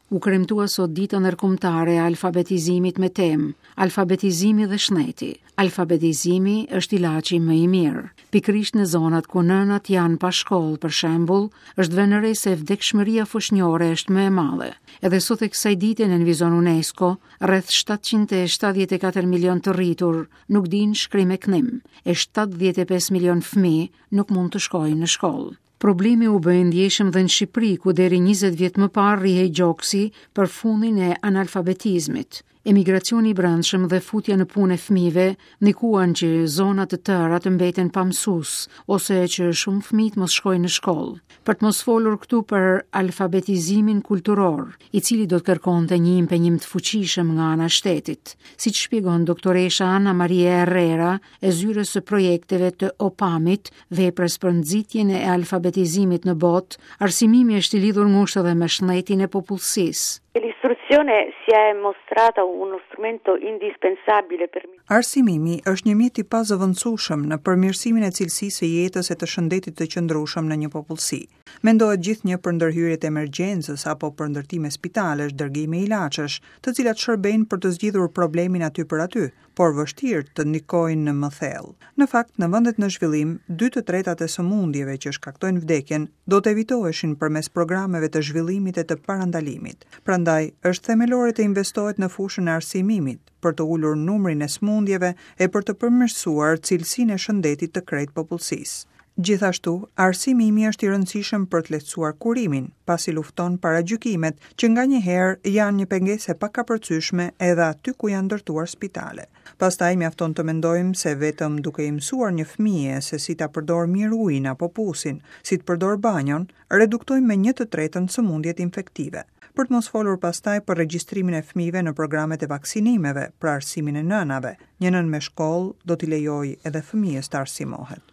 U kremtua sot dita ndërkombëtare e alfabetizimit me temë Alfabetizimi dhe shneti. Alfabetizimi është ilaçi më i mirë. Pikërisht në zonat ku nënat janë pa shkollë, për shembull, është vënë re se vdekshmëria foshnjore është më e madhe. Edhe sot e kësaj dite nënvizon UNESCO, rreth 774 milion të rritur nuk dinë shkrim e këndim, e 75 milion fëmijë nuk mund të shkojnë në shkollë. Problemi u bë i ndjeshëm dhe në Shqipëri, ku deri 20 vjet më parë rrihej gjoksi për fundin e analfabetizmit. Emigracioni i brendshëm dhe futja në punë e fëmijëve ndikuan që zona të tëra të mbeten pa mësues ose që shumë fëmijë të mos shkojnë në shkollë. Për të mos folur këtu për alfabetizimin kulturor, i cili do të kërkonte një impenjim të fuqishëm nga ana e shtetit, siç shpjegon doktoresha Ana Maria Herrera e zyrës së projekteve të OPAM-it, veprës për nxitjen e alfabetizimit në botë, arsimimi është i lidhur ngushtë edhe me shëndetin e popullsisë. L'istruzione si è mostrata uno strumento indispensabile per Arsimimi është një mjet i pazëvendësueshëm në përmirësimin e cilësisë së jetës e të shëndetit të qëndrueshëm në një popullsi. Mendohet gjithnjë për ndërhyrjet e emergjencës apo për ndërtime spitalesh, dërgime ilaçesh, të cilat shërbejnë për të zgjidhur problemin aty për aty, por vështirë të ndikojnë më thellë. Në fakt, në vendet në zhvillim, dy të tretat e sëmundjeve që shkaktojnë vdekjen do të evitoheshin përmes programeve të zhvillimit e të parandalimit. Prandaj, është themelore të investohet në fushën e arsimimit, për të ulur numrin e sëmundjeve e për të përmirësuar cilësinë e shëndetit të krejt popullsisë. Gjithashtu, arsimimi është i rëndësishëm për të lehtësuar kurimin, pasi lufton paragjykimet që nganjëherë janë një pengesë e pakapërcyeshme edhe aty ku janë ndërtuar spitale. Pastaj mjafton të mendojmë se vetëm duke i mësuar një fëmije se si ta përdorë mirë ujin apo pusin, si të përdorë banjon, reduktojmë me një të tretën sëmundjet infektive. Për të mos folur pastaj për regjistrimin e fëmijëve në programet e vaksinimeve, për arsimin e nënave, një nënë me shkollë do t'i lejojë edhe fëmijës të arsimohet.